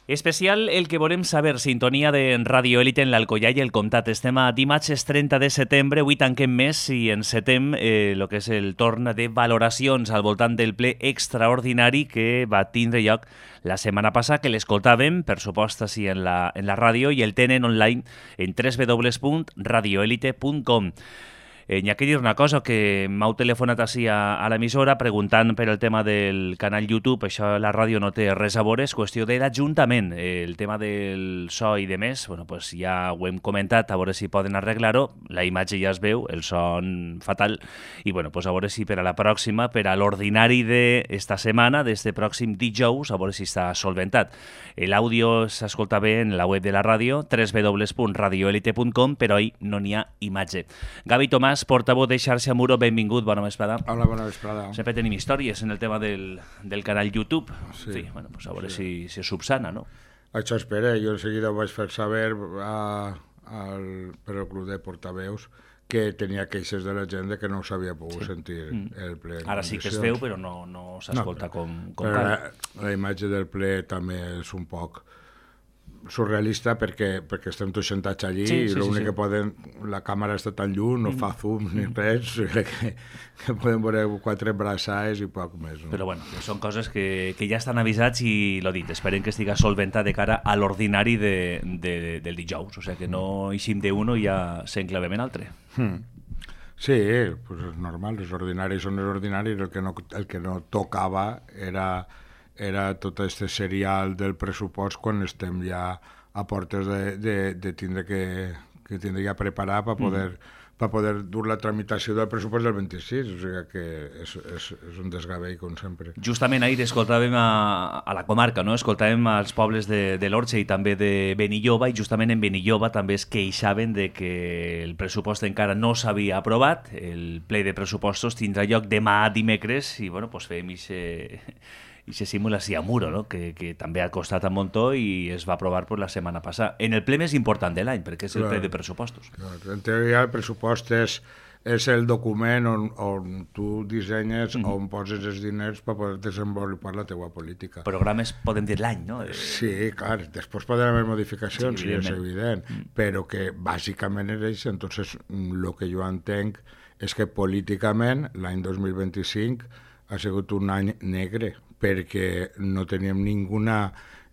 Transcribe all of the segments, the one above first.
Especial el que volem saber, sintonia de Radio Élite en l'Alcoià i el Comtat. Estem a dimarts 30 de setembre, avui tanquem mes i encetem el que és el torn de valoracions al voltant del ple extraordinari que va tindre lloc la setmana passada, que l'escoltàvem, per supost, així en la ràdio, i el tenen online en www.radioelite.com. N'hi ha que dir una cosa, que m'heu telefonat així a l'emissora preguntant per el tema del canal YouTube. Això la ràdio no té res a veure, és qüestió de l'Ajuntament. El tema del so i de més, bueno, pues ja ho hem comentat, a veure si poden arreglar-ho. La imatge ja es veu, el son fatal, i bueno, pues a veure si per a la pròxima, per a l'ordinari d'esta setmana, d'este pròxim dijous, a veure si està solventat. L'àudio s'escolta bé en la web de la ràdio, www.radioelite.com, però ahí no n'hi ha imatge. Gavi Tomàs, portaveu de Xarxa Muro, benvingut, bona vesprada. Hola, bona vesprada. Sempre tenim històries en el tema del canal YouTube. Sí. En fi, bueno, pues a veure si subsana, no? Això espera, jo en seguida ho vaig fer saber per el club de portaveus que tenia queixes de la gent que no s'havia pogut sentir el ple. Ara sí que es veu, però no s'escolta com cal. La imatge del ple també és un poc surrealista perquè estem tots sentats allí i l'únic que poden... La càmera està tan lluny, no fa zoom ni res, que poden veure 4 braçades i poc més. No? Però bueno, són coses que ja estan avisats i, l'ho dit, esperem que estigui solventat de cara a l'ordinari del dijous. O sigui que no eixim d'un i ja s'enclavem en altre. Sí, pues és normal, els ordinaris són els ordinaris, el que no tocava era tot aquest serial del pressupost quan estem ja a portes de tindre que tindre ja preparar per poder dur la tramitació del pressupost del 26, o sigui que és un desgavell, com sempre. Justament ahir escoltàvem a la comarca, no? Escoltàvem als pobles de l'Orxe i també de Benilloba, i justament en Benilloba també es queixaven de que el pressupost encara no s'havia aprovat. El ple de pressupostos tindrà lloc demà dimecres i, bueno, pues fem i se simula així a Muro, no? que també ha costat un muntó i es va aprovar la setmana passada. En el ple més important de l'any, perquè és el ple de pressupostos. En teoria, el pressupost és el document on tu dissenyes, on poses els diners per poder desenvolupar la teua política. Programes, podem dir l'any, no? Sí, clar, després poden haver modificacions, sí, és evident, però que bàsicament és això. Entonces, el que jo entenc és que políticament l'any 2025 ha sigut un any negre, perquè no teníem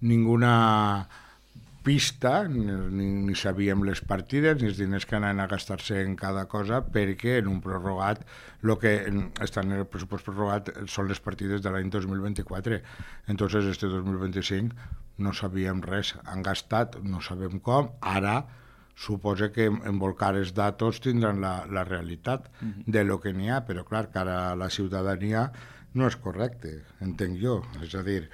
ninguna pista, ni sabíem les partides, ni els diners que anaven a gastar-se en cada cosa, perquè en un prorrogat, el que està en el pressupost prorrogat són les partides de l'any 2024. Entonces, este 2025 no sabíem res, han gastat, no sabem com, ara suposa que en volcar els datos tindran la realitat de lo que n'hi ha, però clar, cara a la ciutadania no és correcte, entenc jo. És a dir,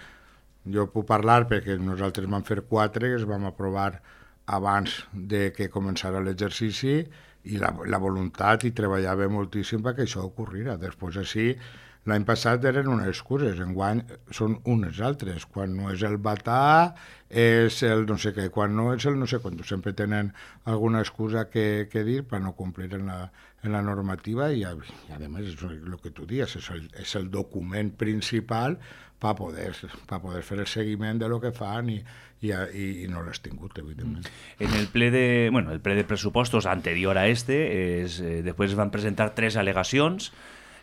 jo puc parlar perquè nosaltres vam fer 4, es vam aprovar abans de que començara l'exercici i la voluntat, i treballava moltíssim perquè això ocorrira. Després així, l'any passat eren unes excuses, enguany són unes altres. Quan no és el batà, és el no sé què, quan no és el no sé quant. Sempre tenen alguna excusa que dir per no complir en la normativa i a més, el que tu dius, és el document principal per poder fer el seguiment de lo que fan i no l'has tingut, evidentment. En el ple de pressupostos anterior a després es van presentar 3 al·legacions.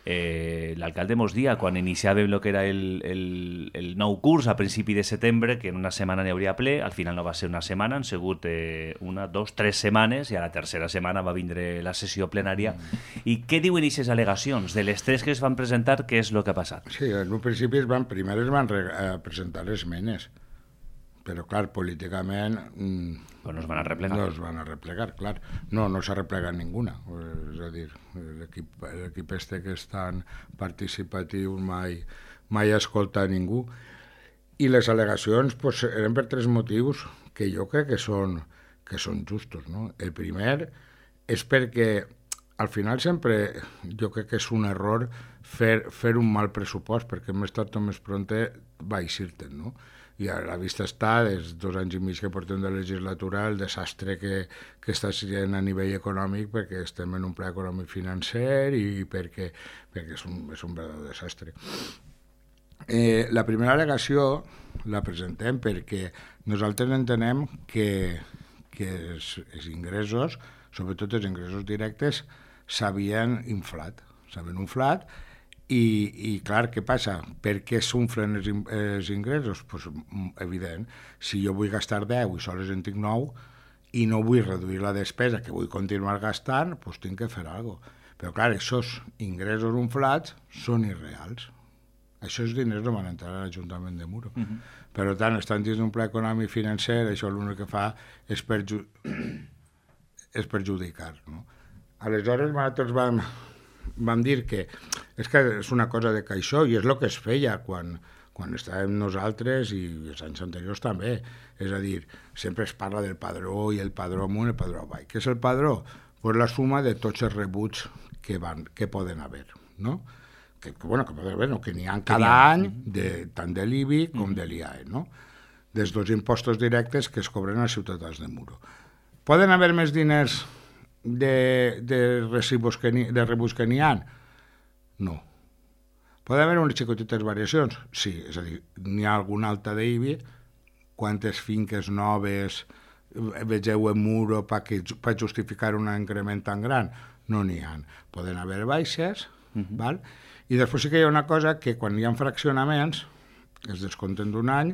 L'alcalde mos dia, quan iniciàvem el que era el nou curs a principi de setembre, que en una setmana n'hi hauria ple, al final no va ser una setmana, han sigut 1, 2, 3 setmanes, i a la tercera setmana va vindre la sessió plenària. I què diuen aquestes al·legacions? De les 3 que es van presentar, què és el que ha passat? Sí, en un principi primer es van presentar esmenes, però clar, políticament no es van arreplegar. No es van arreplegar, clar. No s'ha arreplegat ninguna. És a dir, l'equip que és tan participatiu mai escolta a ningú. I les al·legacions eren per 3 motius que jo crec que són justos. No? El primer és perquè al final sempre jo crec que és un error fer un mal pressupost, perquè més tard o més pronte va eixir-te'n, no? I a la vista està, des 2 anys i mig que portem de legislatura, el desastre que està sent a nivell econòmic, perquè estem en un pla econòmic financer i perquè és un verdadero desastre. La primera al·legació la presentem perquè nosaltres entenem que els ingressos, sobretot els ingressos directes, s'havien inflat i clar, què passa? Per què s'unflen els ingressos? Pues, evident, si jo vull gastar 10 i sols en tinc 9 i no vull reduir la despesa, que vull continuar gastant, doncs tinc que fer alguna cosa. Però clar, aquests ingressos inflats són irreals. Això és diners no van entrar a l'Ajuntament de Muro. Per tant, estan dins d'un pla econòmic financer, això l'únic que fa és perjudicar. No? Aleshores, nosaltres vam dir que és una cosa de caixó i és el que es feia quan estàvem nosaltres i els anys anteriors també. És a dir, sempre es parla del padró i el padró amunt i el padró avall. Què és el padró? Pues la suma de tots els rebuts que poden haver, no? Que poden haver, no? Que n'hi ha cada any, tant de l'IBI com de l'IAE, no? Dels dos impostos directes que es cobren als ciutadans de Muro. Poden haver més diners de rebuts que n'hi ha? No. Poden haver unes xicotetes variacions? Sí, és a dir, n'hi ha alguna alta d'IBI, quantes finques noves vegeu en Muro per justificar un increment tan gran? No n'hi ha. Poden haver baixes, val? I després sí que hi ha una cosa que quan hi ha fraccionaments es descompten d'un any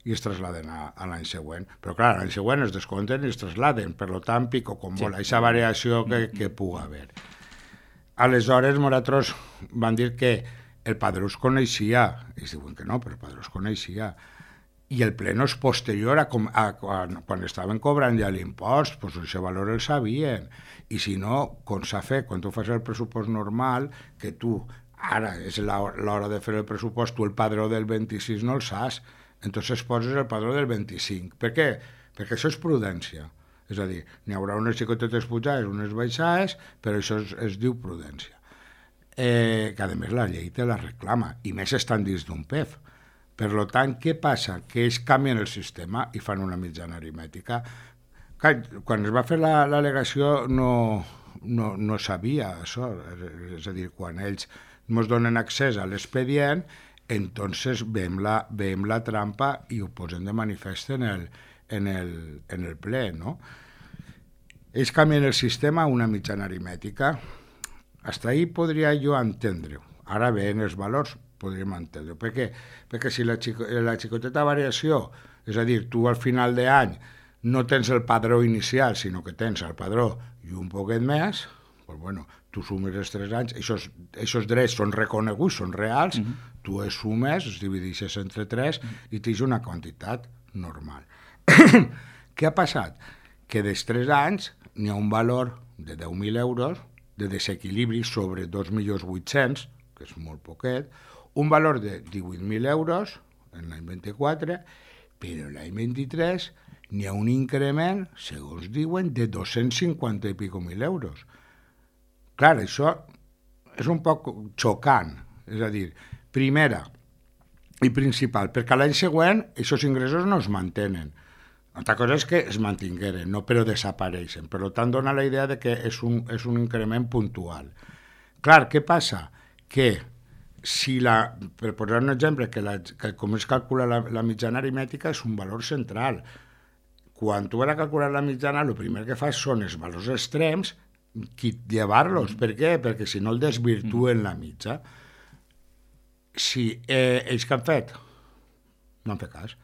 i es traslladen a l'any següent. Però clar, l'any següent es descompten i es traslladen, per tant, pico com vol, aquesta variació que pugui haver. Aleshores, nosaltres van dir que el padró es coneixia, i es diuen que no, però el padró es coneixia, i el pleno és posterior a quan estaven cobrant ja l'impost, doncs aquest valor el sabien. I si no, com s'ha fet, quan tu fas el pressupost normal, que tu, ara és l'hora de fer el pressupost, tu el padró del 26 no el saps, entonces poses el padró del 25. Per què? Perquè això és prudència. És a dir, n'hi haurà unes xicotetes pujades, unes baixades, però això es diu prudència. Que a més la llei te la reclama, i més estan dins d'un PEF. Per tant, què passa? Que ells canvien el sistema i fan una mitjana aritmètica. Quan es va fer l'al·legació no sabia això, és a dir, quan ells ens donen accés a l'expedient, entonces veiem la trampa i ho posem de manifest en el ple, no? Ells canvien el sistema a una mitjana aritmètica. Hasta ahí podria jo entendre-ho. Ara ven els valors, podríem entendre. Per què? Perquè si la xicoteta variació, és a dir, tu al final d'any no tens el padró inicial, sinó que tens el padró i un poquet més, doncs bueno, tu sumes els 3 anys, aquests drets són reconeguts, són reals, tu els sumes, els divideixes entre 3 i tens una quantitat normal. Què ha passat? Que dels 3 anys n'hi ha un valor de 10.000 euros de desequilibri sobre 2.800.000, que és molt poquet, un valor de 18.000 euros en l'any 24, però l'any 23 n'hi ha un increment, segons diuen, de 250 i pico mil euros. Clar, això és un poc xocant, és a dir, primera i principal, perquè l'any següent aquests ingressos no es mantenen. Altra cosa és que es mantingueren, no però desapareixen. Per tant, dona la idea de que és un increment puntual. Clar, què passa? Que si per posar un exemple, que com es calcula la mitjana aritmètica és un valor central. Quan tu vas a calcular la mitjana, el primer que fas són els valors extrems, llevar-los. Per què? Perquè si no el desvirtuen la mitja. Si ells que han fet? No han fet cas.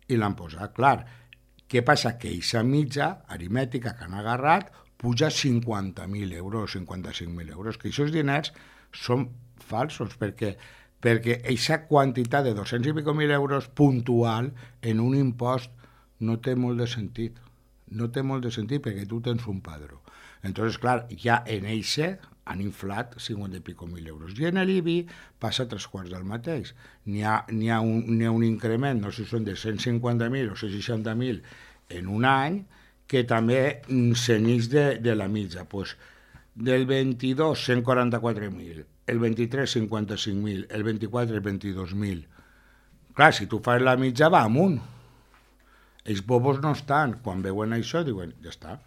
I l'han posat, clar. Què passa? Que aquesta mitja aritmètica que han agarrat puja 50.000 euros, 55.000 euros, que aquests diners són falsos, perquè aquesta quantitat de 200 i pico mil euros puntual en un impost no té molt de sentit. No té molt de sentit perquè tu tens un padró. Entonces, clar, ja en eixe han inflat 50 i pico mil euros. I en l'IBI passa 3/4 del mateix. N'hi ha un increment, no sé si són de 150.000 o 160.000 en un any, que també s'enix de la mitja. Pues, del 22, 144.000, el 23, 55.000, el 24, 22.000. Clar, si tu fas la mitja, va amunt. Els bobos no estan. Quan veuen això, diuen, ja està,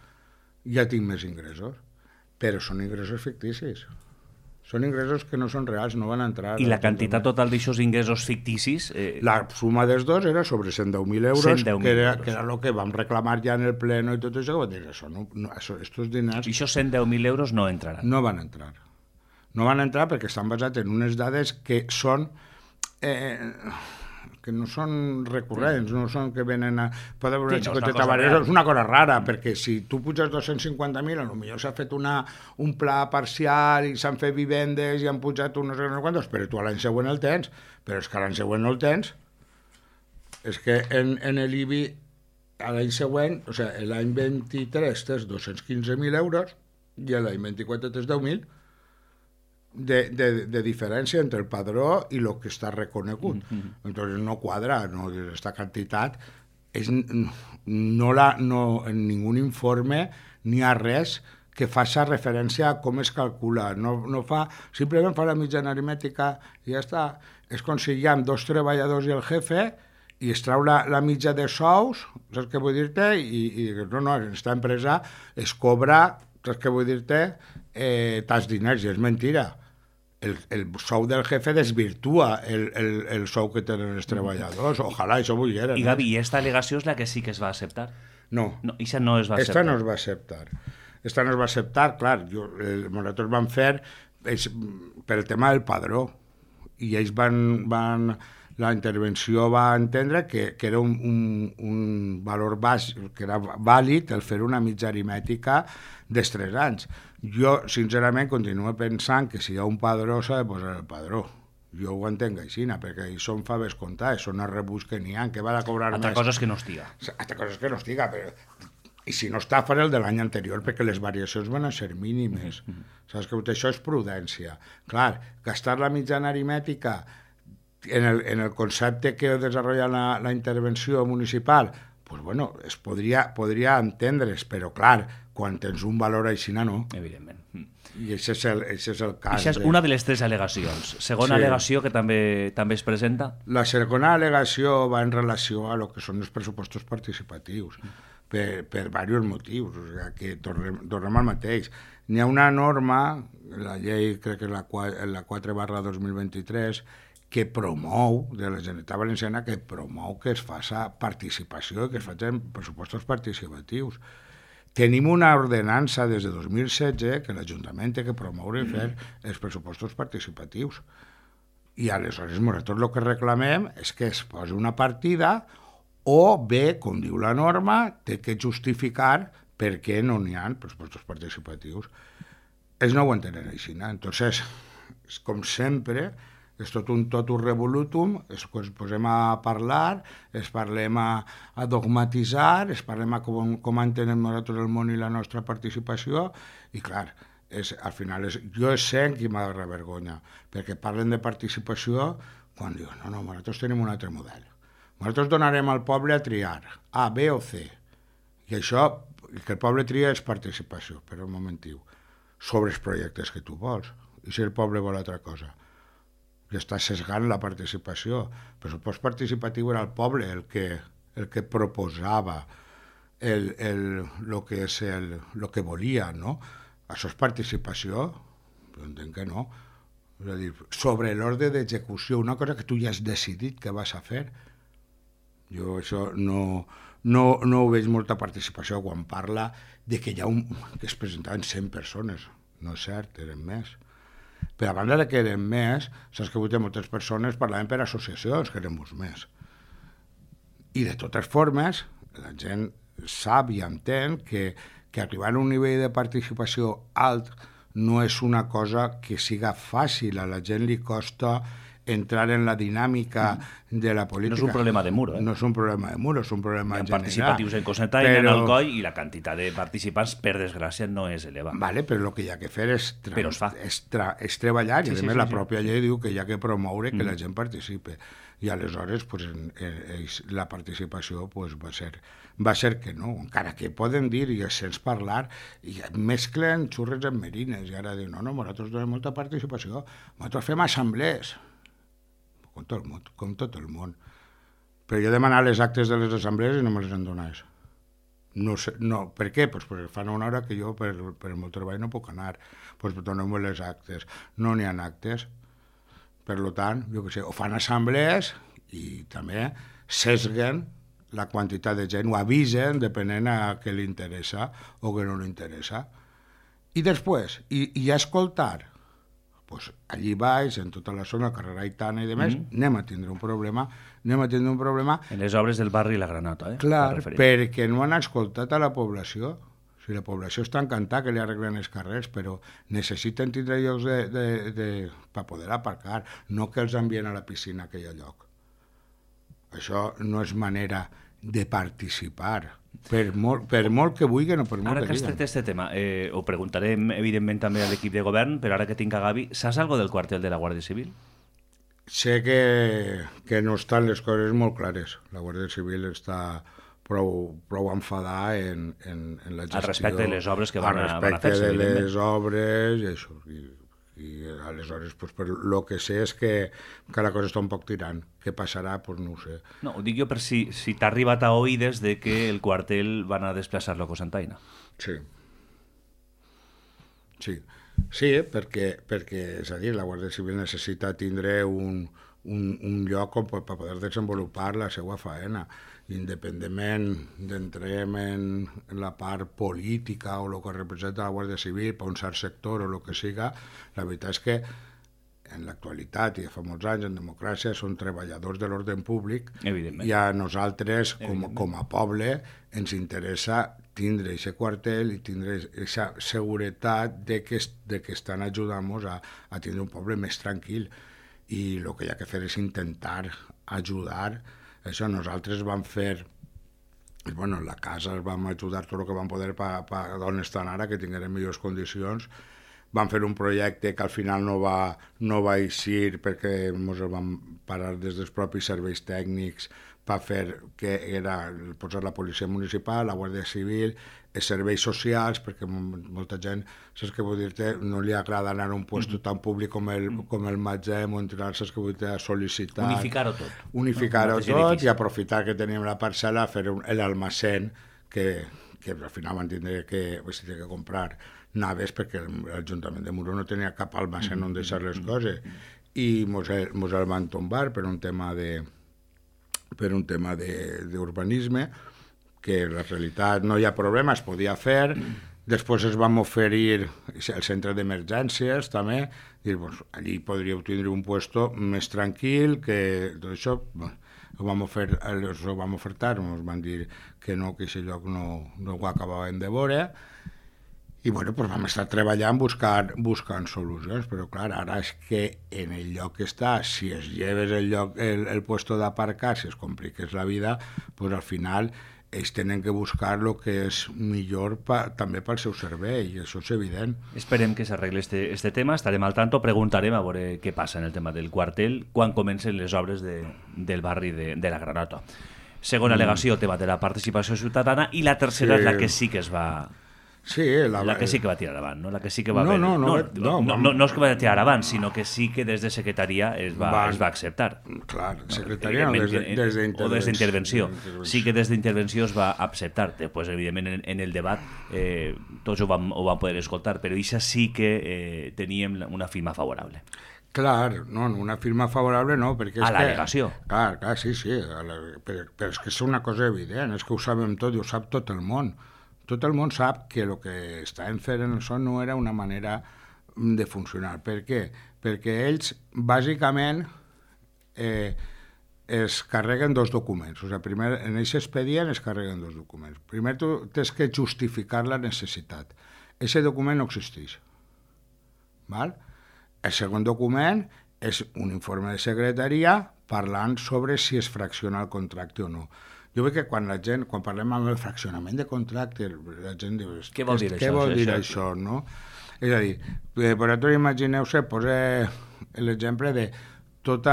ja tinc més ingressos. Però són ingressos ficticis. Són ingressos que no són reals, no van entrar. I la quantitat total d'aixòs ingressos ficticis? La suma dels dos era sobre 110.000 euros, 110.000 que era euros. el que vam reclamar ja en el pleno i tot això, que dir, estos diners I això 110.000 euros no entraran. no van entrar. No van entrar perquè estan basats en unes dades que són... que no són recurrents, no són que venen a... Pot haver una xicoteta variació, és una cosa rara, perquè si tu puges 250.000, potser s'ha fet un pla parcial i s'han fet vivendes i han pujat unos quantos, però tu l'any següent el tens, però és que l'any següent no el tens. És que en l'IBI l'any següent, o sigui, l'any 23 tens 215.000 euros i l'any 24 tens 10.000 de diferència entre el padró i el que està reconegut. Entonces no quadra, no, esta quantitat en ningú informe ni a res que faci referència a com es calcula. No fa, simplement fa la mitjana aritmètica i ja està. És com si hi ha 2 treballadors i el jefe i es trau la mitja de sous, saps què vull dir-te? I no, en aquesta empresa es cobra, saps què vull dir-te? Tants diners, i és mentira. El sou del jefe desvirtua el sou que tenen els treballadors. Ojalà això volgueren. I Gavi, i aquesta al·legació és la que sí que es va acceptar? No. Aquesta no es va acceptar. Esta no es va acceptar. Esta no es va acceptar, clar. Nosaltres vam fer per el tema del padró. I ells la intervenció va entendre que era un valor baix, que era vàlid el fer una mitja aritmètica dels 3 anys. Jo, sincerament, continuo pensant que si hi ha un padró s'ha de posar el padró. Jo ho entenc així, perquè hi són faves comptades, són els rebuts que n'hi ha, que va a cobrar Altra més. cosa és que no estiga. Altra cosa és que no estiga, però... I si no està, faré el de l'any anterior, perquè les variacions van a ser mínimes. Saps que això és prudència. Clar, gastar la mitjana aritmètica en el concepte que desenvolupa la intervenció municipal, pues bueno, es podria entendre's, però clar, quan tens un valor així, no. Evidentment. I això és el cas. Això és una de les 3 al·legacions. Segona al·legació que també es presenta? La segona al·legació va en relació a lo que són els pressupostos participatius, per diversos motius. O sigui, que tornem al mateix. N'hi ha una norma, la llei, crec que és la 4/2023, que promou, de la Generalitat Valenciana, que promou que es faci participació, que es facin pressupostos participatius. Tenim una ordenança des de 2016 que l'Ajuntament té que promoure i fer els pressupostos participatius. I aleshores nosaltres el que reclamem és que es posi una partida o bé, com diu la norma, té que justificar per què no n'hi ha pressupostos participatius. Ells no ho entenen així. Entonces, com sempre, és tot un revolutum, ens posem a parlar, ens parlem a dogmatitzar, ens parlem a com entenem nosaltres el món i la nostra participació, i clar, al final jo sé qui m'agarra vergonya, perquè parlen de participació quan diuen, no, nosaltres tenim un altre model. Nosaltres donarem al poble a triar, A, B o C, i això, que el poble tria és participació, però un momentiu, sobre els projectes que tu vols, i si el poble vol altra cosa, que està sesgant la participació. El pressupost participatiu era el poble el que proposava el que volia, no? Això és participació? Jo entenc que no. És a dir, sobre l'ordre d'execució, una cosa que tu ja has decidit que vas a fer. Jo això no ho veig molta participació quan parla de que que es presentaven 100 persones. No és cert, eren més. Però a banda de que eren més, saps que avui moltes persones parlaven per associacions, que eren molts més. I de totes formes, la gent sap i entén que arribar a un nivell de participació alt no és una cosa que siga fàcil. A la gent li costa entrar en la dinàmica de la política. No és un problema de muro, No és un problema de muro, és un problema general. Participatius en Coseta i en Alcoi, i la quantitat de participants, per desgràcia, no és elevada. Vale, però el que hi ha que fer és treballar, i a més la pròpia llei diu que hi ha que promoure que la gent participe. I aleshores la participació va ser que no, encara que poden dir i sents parlar, i mesclen xurres amb merines, i ara diuen, no, nosaltres donem molta participació, nosaltres fem assemblees, com tot el món. Però jo he demanat les actes de les assemblees i no me les han donat. No sé, no. Per què? Pues perquè fan una hora que jo per el meu treball no puc anar. Pues doneu-me les actes. No n'hi ha actes. Per tant, jo què sé, o fan assemblees i també sesguen la quantitat de gent, ho avisen depenent a què li interessa o què no li interessa. I després, i a escoltar, pues allí baix, en tota la zona, carrer Aitana i demés, anem a tindre un problema, En les obres del barri La Granota, clar, perquè no han escoltat a la població. O sigui, la població està encantada que li arreglen els carrers, però necessiten tindre llocs per poder aparcar, no que els envien a la piscina a aquell lloc. Això no és manera de participar, per molt que vulguin o per molt ara que has diguen. tret este tema, ho preguntarem evidentment també a l'equip de govern, però ara que tinc a Gavi, saps algo del quartel de la Guàrdia Civil? Sé que no estan les coses molt clares. La Guàrdia Civil està prou enfadada en la gestió. Al respecte de les obres que van a fer-se, Al respecte de evidentment. les obres i això. I aleshores, pues, per lo que sé és que la cosa està un poc tirant. Què passarà? Pues no ho sé. No, ho dic jo per si t'ha arribat a oïdes de que el quartel van a desplaçar-lo a Cocentaina. Sí. Sí, perquè, és a dir, la Guàrdia Civil necessita tindre un lloc per poder desenvolupar la seva faena, independentment d'entrem en la part política o el que representa la Guàrdia Civil per un cert sector o el que siga. La veritat és que en l'actualitat i fa molts anys en democràcia són treballadors de l'ordre públic i a nosaltres com a poble ens interessa tindre aquest quartel i tindre aquesta seguretat de que estan ajudant-nos a tindre un poble més tranquil, i el que hi ha que fer és intentar ajudar. Això nosaltres vam fer, bueno, en la casa vam ajudar tot el que vam poder d'on estan ara, que tingueren millors condicions. Vam fer un projecte que al final no va eixir perquè ens el vam parar des dels propis serveis tècnics per fer que era posar la policia municipal, la Guàrdia Civil, els serveis socials, perquè molta gent, saps què vull dir-te, no li agrada anar a un lloc tan públic com el Matzem o entrar, saps què vull dir-te, a sol·licitar. Unificar-ho tot. Unificar-ho tot i aprofitar que teníem la parcel·la, fer l'almacén, que al final van tindre que comprar naves perquè l'Ajuntament de Muro no tenia cap almacén on deixar les coses, i mos el van tombar per un tema d'urbanisme, que en la realitat no hi ha problema, es podia fer. Després es vam oferir el centre d'emergències també, dir, doncs, allí podríeu tindre un puesto més tranquil, que tot això ho vam ofertar, ens van dir que no, que aquest lloc no ho acabaven de veure. I bueno, pues vam estar treballant buscant solucions, però clar, ara és que en el lloc que està, si es lleves el puesto d'aparcar, si es compliques la vida, pues al final ells tenen que buscar el que és millor també pel seu servei, i això és evident. Esperem que s'arregli este tema, estarem al tanto, preguntarem a veure què passa en el tema del quartel quan comencen les obres del barri de la Granota. Segona al·legació, tema de la participació ciutadana, i la tercera és la que sí que es va... Sí, la que sí que va tirar avant, no? La que sí que va no és que va tirar avant, sinó que sí que des de secretaria es va acceptar. Clar, secretaria no, des d'intervenció. Sí que des d'intervenció es va acceptar. Després, evidentment, en el debat tots ho vam poder escoltar, però això sí que teníem una firma favorable. Clar, no, una firma favorable no, perquè és a l'al·legació. Clar, sí, però és que és una cosa evident, és que ho sabem tot i ho sap tot el món. Tot el món sap que el que estaven fent en això no era una manera de funcionar. Per què? Perquè ells, bàsicament, es carreguen dos documents. O sigui, primer, en aquest expedient es carreguen dos documents. Primer, tu tens que justificar la necessitat. Aquest document no existeix. Val? El segon document és un informe de secretaria parlant sobre si es fracciona el contracte o no. Jo veig que quan parlem amb el fraccionament de contracte, la gent diu, què vol dir això, no? És a dir, vosaltres imagineu-se, posa l'exemple de tot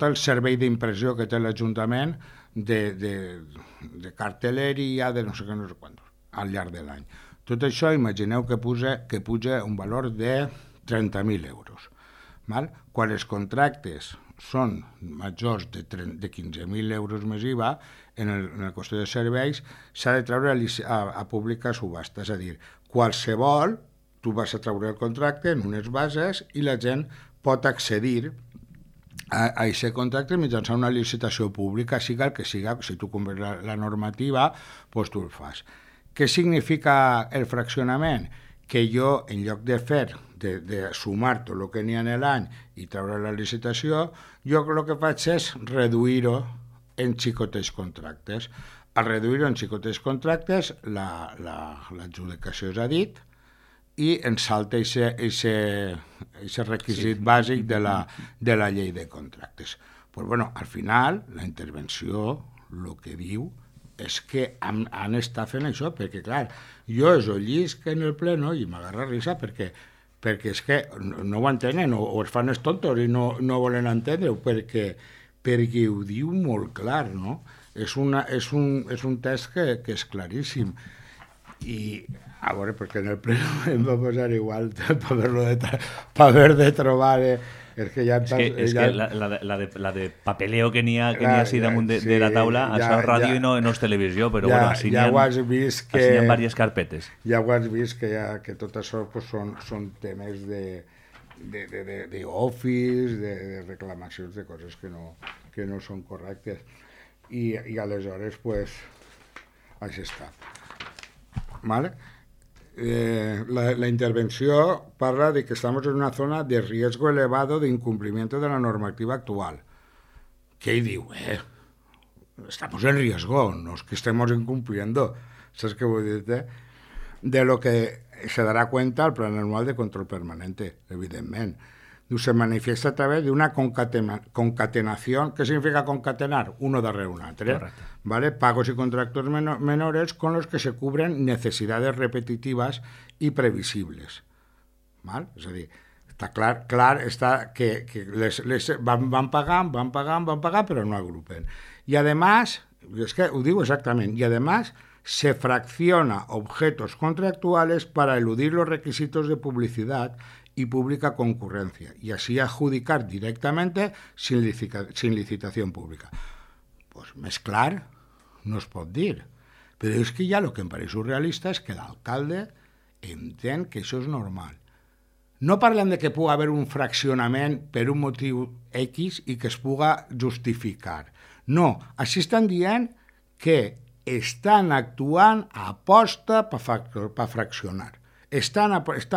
el servei d'impressió que té l'Ajuntament de cartelleria, de no sé quant, al llarg de l'any. Tot això, imagineu que puja un valor de 30.000 euros. Val? Quan els contractes són majors de 15.000 euros més IVA, en la qüestió de serveis s'ha de treure a pública subhasta, és a dir, qualsevol, tu vas a treure el contracte en unes bases i la gent pot accedir a aquest contracte mitjançant una licitació pública, siga el que siga, si tu compres la normativa, doncs tu el fas. Què significa el fraccionament? Que jo, en lloc de fer, de sumar tot el que n'hi ha en l'any i treure la licitació, jo el que faig és reduir-ho en xicotets contractes. Al reduir-ho en xicotets contractes, l'adjudicació és a dit, i ens salta aquest requisit bàsic de la llei de contractes. Pues bueno, al final, la intervenció, el que diu, és que han estat fent això, perquè, clar, jo és o llisc en el pleno i m'agarra risa perquè és que no ho entenen, o es fan els tontos i no volen entendre-ho, perquè ho diu molt clar, no? És un text que és claríssim. I, a veure, perquè en el pleno em va posar igual per haver de trobar... És que la de papeleo que n'hi ha així damunt de la taula, això és ràdio i no és televisió, però bueno, així n'hi ha diverses carpetes. Ja ho has vist que tot això són temes d'office, de reclamacions de coses que no són correctes. I aleshores, pues, així està. ¿Vale? La intervención parla de que estamos en una zona de riesgo elevado de incumplimiento de la normativa actual. ¿Qué digo? Estamos en riesgo, no es que estemos incumpliendo. ¿Sabes qué voy a decir? De lo que se dará cuenta el Plan Anual de Control Permanente, evidentemente. Se manifiesta a través de una concatenación. ¿Qué significa concatenar? Uno darrere un altre. ¿Vale? Pagos y contratos menores con los que se cubren necesidades repetitivas y previsibles. ¿Vale? Es decir, está clar está que les van pagar, pero no agrupen. Y además, es que lo digo exactamente, y además se fracciona objetos contractuales para eludir los requisitos de publicidad y pública concurrencia, y así adjudicar directamente sin licitación pública. Pues més clar no es pot dir. Però és que ja el que em pareix surrealista és que l'alcalde entén que això és normal. No parlem de que pugui haver un fraccionament per un motiu X i que es puga justificar. No, així estan dient que estan actuant a aposta per fraccionar. Està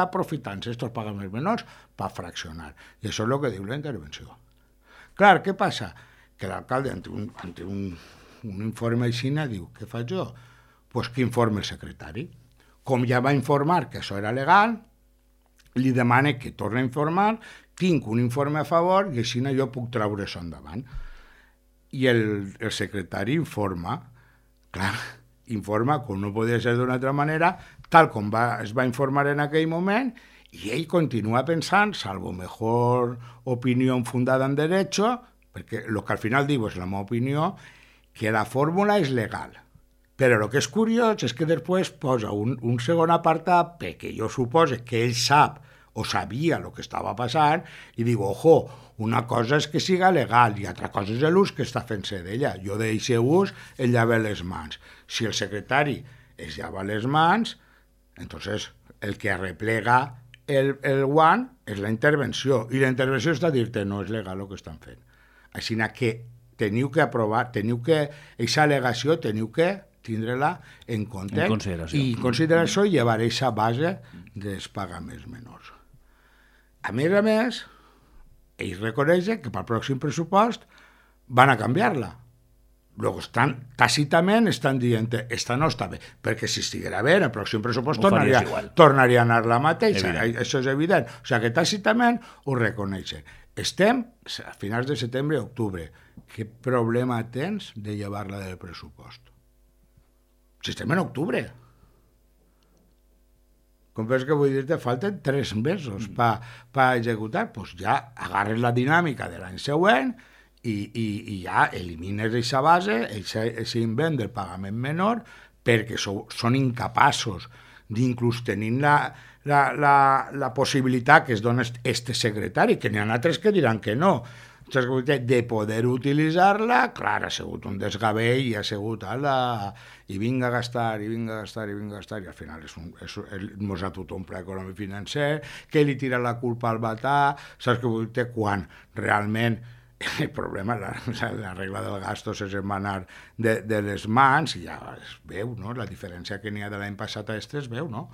aprofitant-se estos pagaments menors per fraccionar. I això és el que diu la intervenció. Clar, què passa? Que l'alcalde, ante un informe així, diu, què faig jo? Pues que informe el secretari. Com ja va informar que això era legal, li demana que torni a informar, tinc un informe a favor i així jo puc treure això endavant. I el secretari informa, clar, informa, com no podia ser d'una altra manera, tal com es va informar en aquell moment, i ell continua pensant, salvo mejor opinió fundada en derecho, perquè el que al final diu és la meva opinió, que la fórmula és legal. Però el que és curiós és que després posa un segon apartat, perquè jo supose que ell sap o sabia el que estava passant, i diu, ojo, una cosa és que siga legal i altra cosa és l'ús que està fent-se d'ella. Jo d'aquest ús el llava les mans. Si el secretari es llava les mans, entonces el que arreplega el guant és la intervenció. I la intervenció està a dir-te, no és legal el que estan fent. Així que teniu que aprovar, aquesta al·legació teniu que tindre-la en compte i consideració i llevar aquesta base dels pagaments menors. A més, ells reconeixen que pel pròxim pressupost van a canviar-la. Luego tàcitament estan dient esta no està bé, perquè si estiguera bé, el pròxim pressupost tornaria a anar la mateixa. Això és evident. O sigui que tàcitament ho reconeixen. Estem a finals de setembre i octubre. Què problema tens de llevar-la del pressupost? Si estem en octubre. Com veus que vull dir-te, falten 3 mesos per executar, doncs ja agarres la dinàmica de l'any següent i ja elimines aquesta base, aquest invent del pagament menor, perquè són incapaços d'inclús tenint la possibilitat que es dona este secretari, que n'hi ha altres que diran que no. saps què vull dir? De poder utilitzar-la, clar, ha sigut un desgavell i ha sigut i vinga a gastar, i vinga a gastar, i vinga a gastar, i al final mos ha tot un pla econòmic financer, que li tira la culpa al batà, saps què vull dir? Quan realment el problema, la regla del gasto se se'n va anar de les mans, i ja es veu, no? La diferència que n'hi ha de l'any passat a este es veu, no?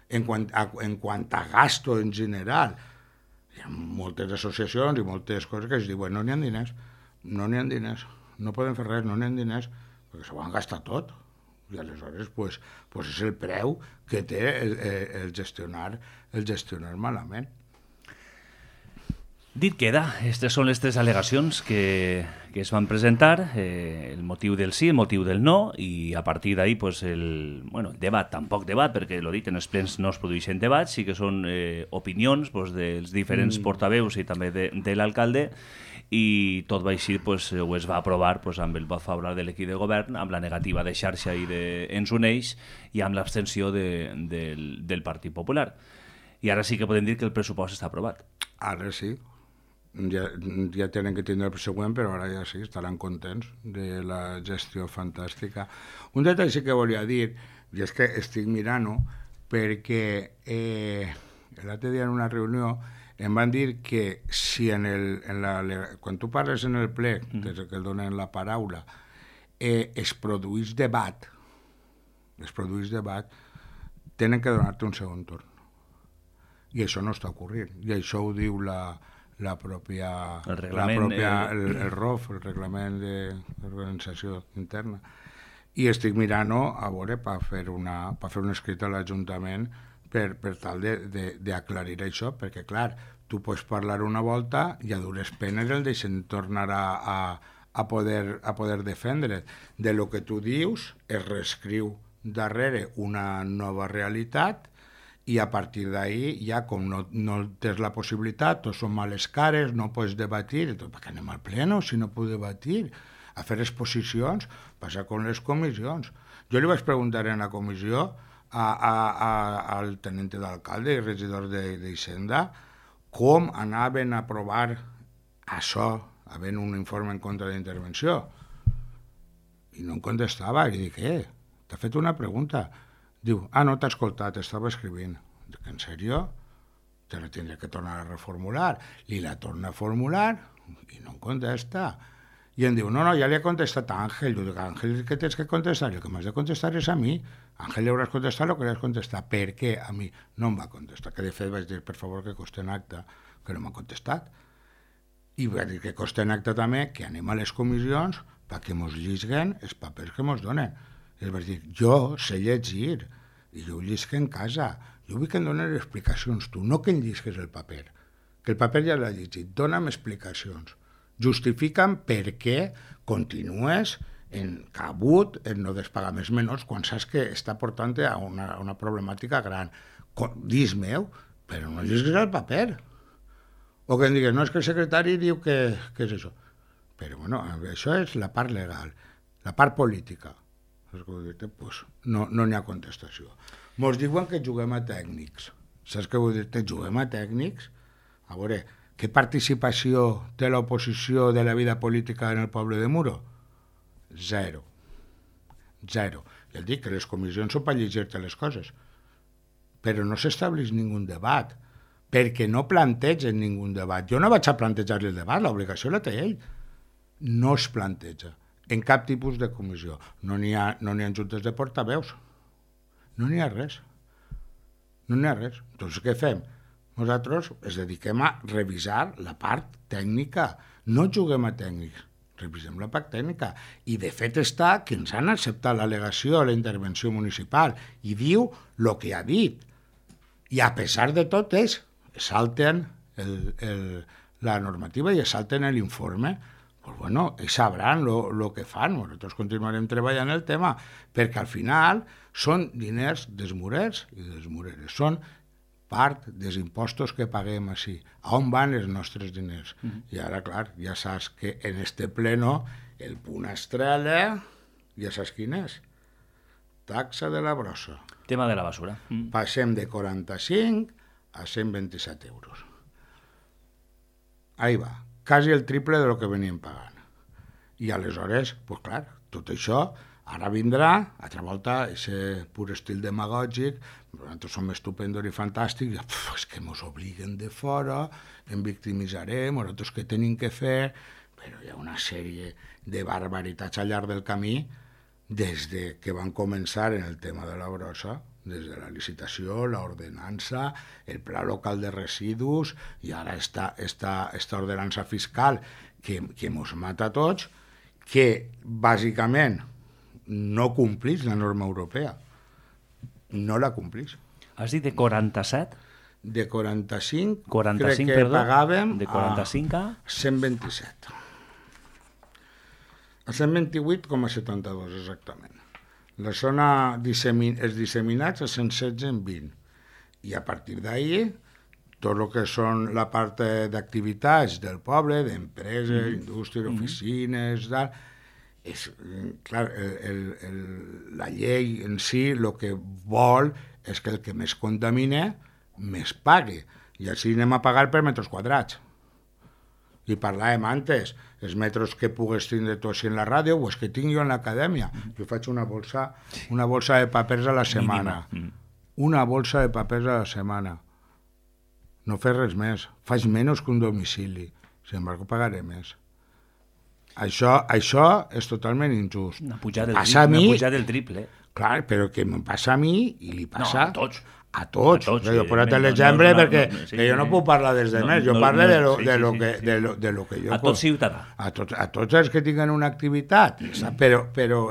En quant a gasto en general, hi ha moltes associacions i moltes coses que es diuen no n'hi ha diners, no podem fer res, no n'hi ha diners, perquè s'ho han gastat tot. I aleshores pues és el preu que té el gestionar malament. Dit queda, aquestes són les tres al·legacions que es van presentar, el motiu del sí, el motiu del no, i a partir d'ahí pues, el debat, tampoc debat, perquè lo dic, en els plens no es produeixen debats, sí que són opinions pues, dels diferents portaveus i també de l'alcalde, i tot va així, pues, ho es va aprovar pues, amb el vot favorable de l'equip de govern, amb la negativa de Xarxa i d'Ens Uneix i amb l'abstenció del Partit Popular. I ara sí que podem dir que el pressupost està aprovat. Ara sí. Ja tenen que tindre el següent, però ara ja sí, estaran contents de la gestió fantàstica. Un detall sí que volia dir, i és que estic mirant-ho, perquè l'altre dia en una reunió em van dir que si quan tu parles en el ple, des que et donen la paraula, es produeix debat, tenen que donar-te un segon torn. I això no està ocorrent. I això ho diu el ROF, el Reglament d'Organització Interna. I estic mirant-ho a veure per fer un escrit a l'Ajuntament per tal d'aclarir això, perquè, clar, tu pots parlar una volta i a dures penes el deixen tornar a poder defendre. De lo que tu dius es reescriu darrere una nova realitat i a partir d'ahí ja com no tens la possibilitat, tots són males cares, no pots debatir, perquè anem al pleno si no puc debatir, a fer exposicions, passa com les comissions. Jo li vaig preguntar en la comissió al tenente d'alcalde i regidors d'Hisenda com anaven a aprovar això, havent un informe en contra d'intervenció. I no em contestava, i dic, t'ha fet una pregunta. Diu, no t'ha escoltat, estava escrivint. Dic, en sèrio? Te la tindré que tornar a reformular. Li la torna a formular i no em contesta. I em diu, no, ja li ha contestat a Àngel. Jo dic, Àngel, què tens que contestar? El que m'has de contestar és a mi. Àngel li hauràs contestat el que li has contestat. Per què a mi no em va contestar? Que de fet vaig dir, per favor, que costi en acte, que no m'ha contestat. I vaig dir que costi en acte també que anem a les comissions perquè mos llisguen els papers que mos donen. I vaig dir, jo sé llegir, i jo ho llisc en casa. Jo vull que em donen explicacions tu, no que em llisques el paper. Que el paper ja l'ha llegit, dona'm explicacions. Justifica'm per què continues encabut en no dels pagaments menors quan saps que està portant a una problemàtica gran. Dis-meu, però no llisques el paper. O que em digues, no, és que el secretari diu que és això. Però bueno, això és la part legal. La part política. Pues no n'hi ha contestació. Mos diuen que juguem a tècnics. Saps què vull dir? Juguem a tècnics? A veure, què participació té l'oposició de la vida política en el poble de Muro? Zero. Ja et dic que les comissions són per llegir-te les coses. Però no s'estableix ningú debat, perquè no plantegen ningú debat. Jo no vaig a plantejar-li el debat, l'obligació la té ell. No es planteja. En cap tipus de comissió. No n'hi ha juntes de portaveus. No n'hi ha res. Doncs què fem? Nosaltres ens dediquem a revisar la part tècnica. No juguem a tècnics. Revisem la part tècnica. I de fet està que ens han acceptat l'al·legació a la intervenció municipal i diu el que ha dit. I a pesar de tot salten la normativa i salten l'informe. Pues bueno, ells sabran el que fan, nosaltres continuarem treballant el tema, perquè al final són diners dels murers i de les mureres, són part dels impostos que paguem així. A on van els nostres diners? I ara, clar, ja saps que en este pleno el punt estrella, ja saps quin és? Taxa de la brossa. Tema de la basura. Passem de 45 a 127 euros. Ahí va. quasi el triple de lo que venien pagant. I aleshores, pues clar, tot això ara vindrà, altra volta, aquest pur estil demagògic, nosaltres som estupendos i fantàstics, és que ens obliguen de fora, em victimitzarem, nosaltres què tenim que fer, però hi ha una sèrie de barbaritats al llarg del camí, des de que van començar en el tema de la brossa, des de la licitació, l'ordenança, el pla local de residus, i ara esta ordenança fiscal que ens mata a tots, que bàsicament no complís la norma europea. No la complís. Has dit de 47? De 45, 45, crec que perdó, pagàvem de 45 a 127. A 128,72 exactament. La zona els disseminats a 116 en 20. I a partir d'ahí, tot el que són la part d'activitats del poble, d'empreses, indústries, oficines, tal, és, clar, la llei en si el que vol és que el que més contamina més pague, i així anem a pagar per metres quadrats. I parlàvem antes, els metres que pugues tindre tu així en la ràdio o els que tinc jo en l'acadèmia. Jo faig una bolsa de papers a la setmana. Una bolsa de papers a la setmana. No fes res més. Faig menys que un domicili. Sin embargo, pagaré més. Això és totalment injust. Una pujada del triple. Clar, però que em passa a mi i li passa... No, a tots. A tots. Jo he posat l'exemple perquè jo no puc parlar des de més, jo parlo de lo que jo... A tot ciutadà. A tots els que tinguen una activitat. Però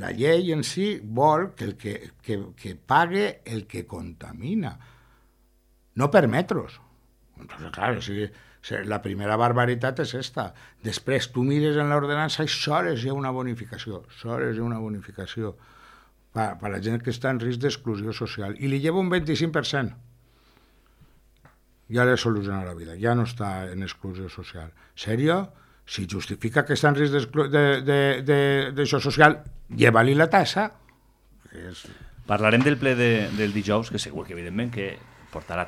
la llei en si vol que pague el que contamina. No per metros. Entonces, clar, o sigui, la primera barbaritat és esta. Després, tu mires en l'ordenança i sols hi ha una bonificació. Per la gent que està en risc d'exclusió social. I li lleva un 25%. Ja li soluciona la vida. Ja no està en exclusió social. Sèrio? Si justifica que està en risc d'això social, lleva-li la tassa. Parlarem del ple del dijous, que segur que evidentment que portarà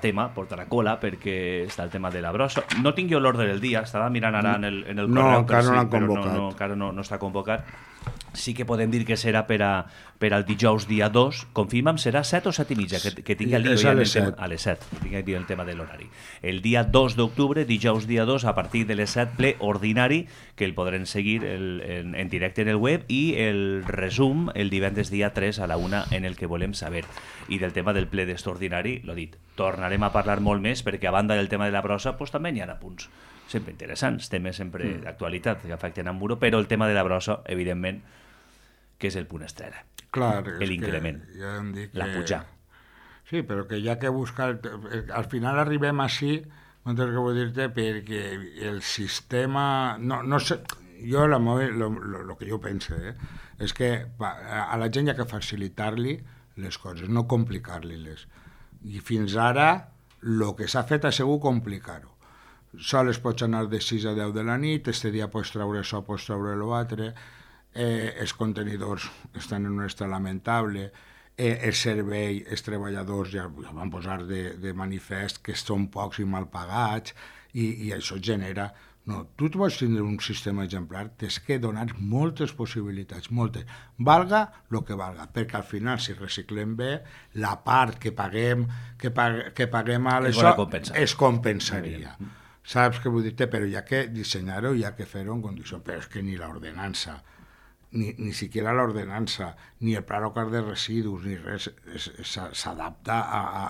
cola, perquè està el tema de la brossa. No tinc jo l'ordre del dia, estava mirant ara en el correu. No, encara no l'han convocat. Encara no està convocat. Sí que podem dir que serà per al dijous dia 2. Confirma'm, serà 7 o 7 i mitja? Que tingui el dia a les 7. A les 7, que tingui el tema de l'horari. El dia 2 d'octubre, dijous dia 2, a partir de les 7, ple ordinari, que el podrem seguir en directe en el web, i el resum el divendres dia 3 a la 1 en el que volem saber. I del tema del ple d'extraordinari, l'ho dit, tornarem a parlar molt més, perquè a banda del tema de la brossa, pues, també hi ha apunts sempre interessants, temes sempre d'actualitat que afecten a Muro, però el tema de la brossa, evidentment, que és el punt estrella. Clar, l'increment, ja la pujar. Sí, però que ja que buscar... Al final arribem així, no sé què vull dir-te, perquè el sistema... No sé, jo el que jo penso és que a la gent hi ha que facilitar-li les coses, no complicar-li-les. I fins ara el que s'ha fet ha sigut complicar-ho. Sols pots anar de 6 a 10 de la nit, este dia pots treure això, pots treure l'altre, els contenidors estan en un estat lamentable, el servei, els treballadors ja van posar de manifest que són pocs i mal pagats, i això genera... No, tu vols tindre un sistema exemplar, tens que donar moltes possibilitats, moltes. Valga el que valga, perquè al final, si reciclem bé, la part que paguem a l'això es compensaria. Saps què vull dir-te? Però hi ha que dissenyar-ho, hi ha que fer-ho en condició. Però és que ni l'ordenança, ni siquiera l'ordenança, ni el pla local de residus, ni res s'adapta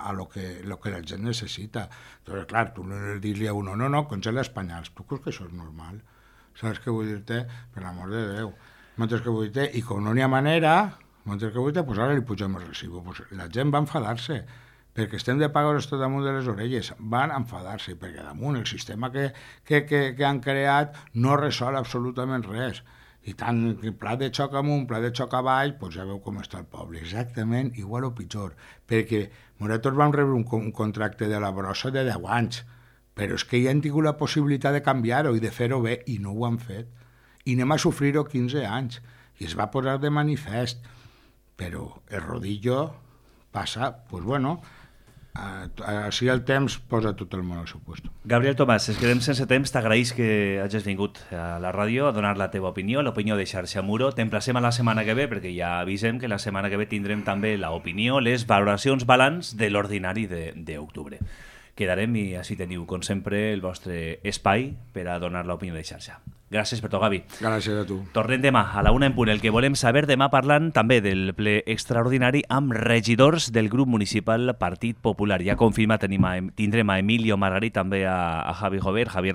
a lo que la gent necessita. Entonces, clar, tu no dir-li a uno, no, congela els penyals. Tu creus que això és normal? Saps què vull dir-te? Per l'amor de Déu. Mentre que vull dir-te, i com no n'hi ha manera, mentre que vull dir-te, pues ara li pugem el recibo. Pues la gent va enfadar-se, perquè estem de pagar tot damunt de les orelles, van enfadar-se, perquè damunt el sistema que han creat no resol absolutament res. I tant pla de xoc amunt, pla de xoc avall, doncs ja veu com està el poble. Exactament igual o pitjor, perquè nosaltres vam rebre un contracte de la brossa de 10 anys, però és que ja han tingut la possibilitat de canviar-ho i de fer-ho bé, i no ho han fet. I anem a sofrir-ho 15 anys, i es va posar de manifest. Però el rodillo passa, doncs bueno, Així el temps posa tot el món al seu lloc. Gabriel Tomàs, ens quedem sense temps. T'agraïs que hagis vingut a la ràdio a donar la teva opinió, l'opinió de Xarxa Muro. T'emplacem a la setmana que ve, perquè ja avisem que la setmana que ve tindrem també l'opinió, les valoracions balanç de l'ordinari d'octubre. Quedarem i així teniu, com sempre, el vostre espai per a donar l'opinió de xarxa. Gràcies per tot, Gavi. Gràcies a tu. Tornem demà a la 1 en punt. El que volem saber demà parlant també del ple extraordinari amb regidors del grup municipal Partit Popular. Ja confirma tindrem a Emilio Margarit, també a Javier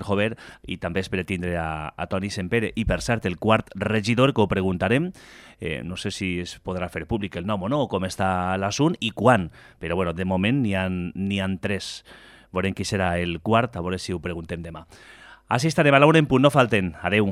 Jover, i també espero tindre a Toni Sempere. I per cert, el quart regidor, que ho preguntarem, no sé si es podrà fer públic el nom o no, com està l'assunt i quan, però bueno, de moment n'hi ha 3. Veurem qui serà el quart, a veure si ho preguntem demà. Així estarem a la 1 en punt, no falten. Adeu.